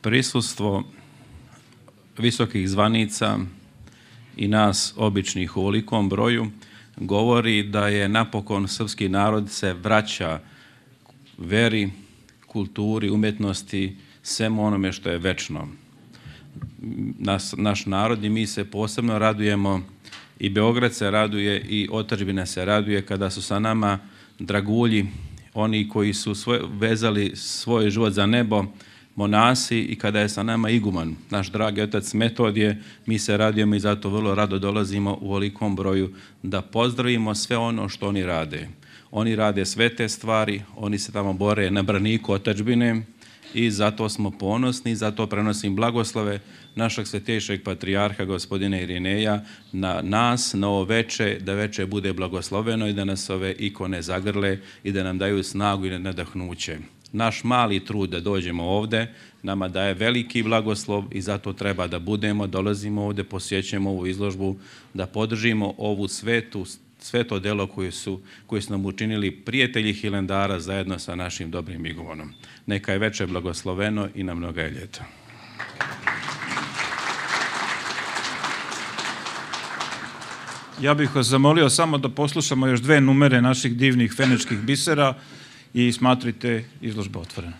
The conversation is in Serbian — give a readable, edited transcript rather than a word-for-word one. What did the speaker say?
Prisustvo visokih zvanica i nas običnih u ovolikom broju govori da je napokon srpski narod se vraća veri, kulturi, umjetnosti, svemu onome što je večno. Naš narod i mi se posebno radujemo, i Beograd se raduje i otadžbina se raduje kada su sa nama dragulji, oni koji su vezali svoj život za nebo, monasi, i kada je sa nama iguman, naš dragi otac Metodije. Mi se radujemo i zato vrlo rado dolazimo u ovolikom broju da pozdravimo sve ono što oni rade. Oni rade sve te stvari, oni se tamo bore na braniku otadžbine i zato smo ponosni, zato prenosim blagoslove našeg svetejšeg patrijarha gospodina Irineja na nas, na ovo veče, da veče bude blagosloveno i da nas ove ikone zagrle i da nam daju snagu i nadahnuće. Naš mali trud da dođemo ovde nama daje veliki blagoslov i zato treba da budemo, dolazimo ovde, posjećujemo ovu izložbu, da podržimo ovu sveto delo koje su nam učinili prijatelji Hilendara zajedno sa našim dobrim igumanom. Neka je veče blagosloveno i na mnoga ljeta. Ja bih vas zamolio samo da poslušamo još 2 numere naših divnih fenečkih bisera i smatrajte izložbu otvorenu.